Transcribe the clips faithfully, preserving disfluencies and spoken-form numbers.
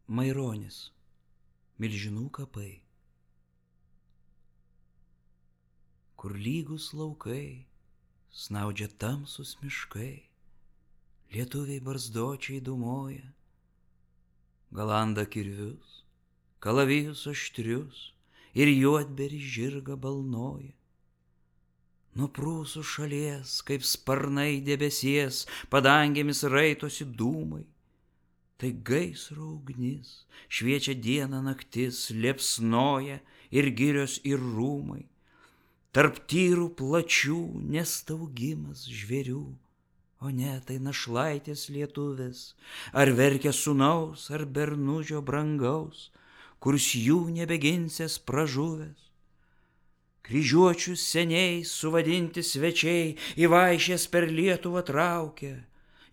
Maironis, Milžinų kapai. Kur lygus laukai, snaudžia tamsus miškai, lietuviai barzdočiai dūmoja, galanda kirvius, kalavijus aštrius ir juodberį žirgą balnoja. Nuo prūsų šalies, kaip sparnai debesies, padangėmis raitosi dūmai. Tai gaisro ugnis, šviečia diena naktis, liepsnoja ir girios ir rūmai. Tarp tyrų plačių nestaugimas žvėrių, o ne tai našlaitės lietuvės, ar verkia sūnaus, ar bernužio brangaus, kurs jų nebeginsias pražuvęs. Kryžiuočius seniai suvadinti svečiai į vaišės per Lietuvą traukia,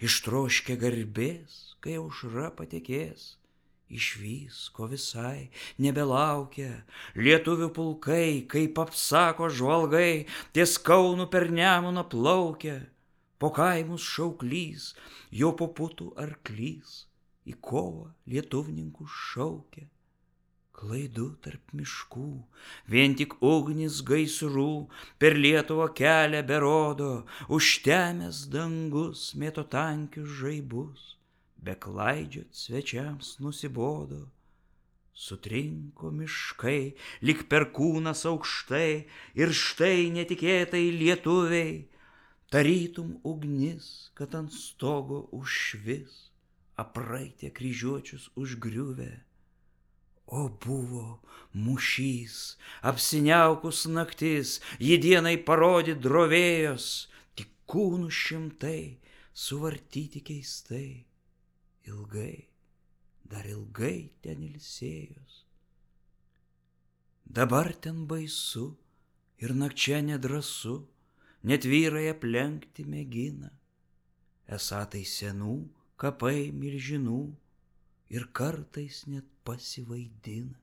ištroškę garbės, kai aušra patekės, išvys, ko visai nebelaukia. Lietuvių pulkai, kaip apsako žvalgai, ties Kaunu per Nemuną plaukia, po kaimus šauklys, jo po putų arklys, į kovą lietuvninkus šaukia. Klaidų tarp miškų, vien tik ugnis gaisrų, per Lietuvą kelią berodo, užtemęs dangus mėto tankius žaibus, beklaidžiot svečiams nusibodo. Sutrinko miškai, lyg perkūnas aukštai, ir štai netikėtai lietuviai, tarytum ugnis, kad ant stogo užšvis, apraitė kryžiuočius užgriuvę. O buvo mūšys, apsiniaukus naktis, jį dienai parodyt drovėjos, tik kūnų šimtai suvartyti keistai. Ilgai, dar ilgai ten ilsėjos. Dabar ten baisu ir nakčia nedrąsu, net vyrai aplenkti mėgina. Esą tai senų kapai milžinų, ir kartais net pasivaidina.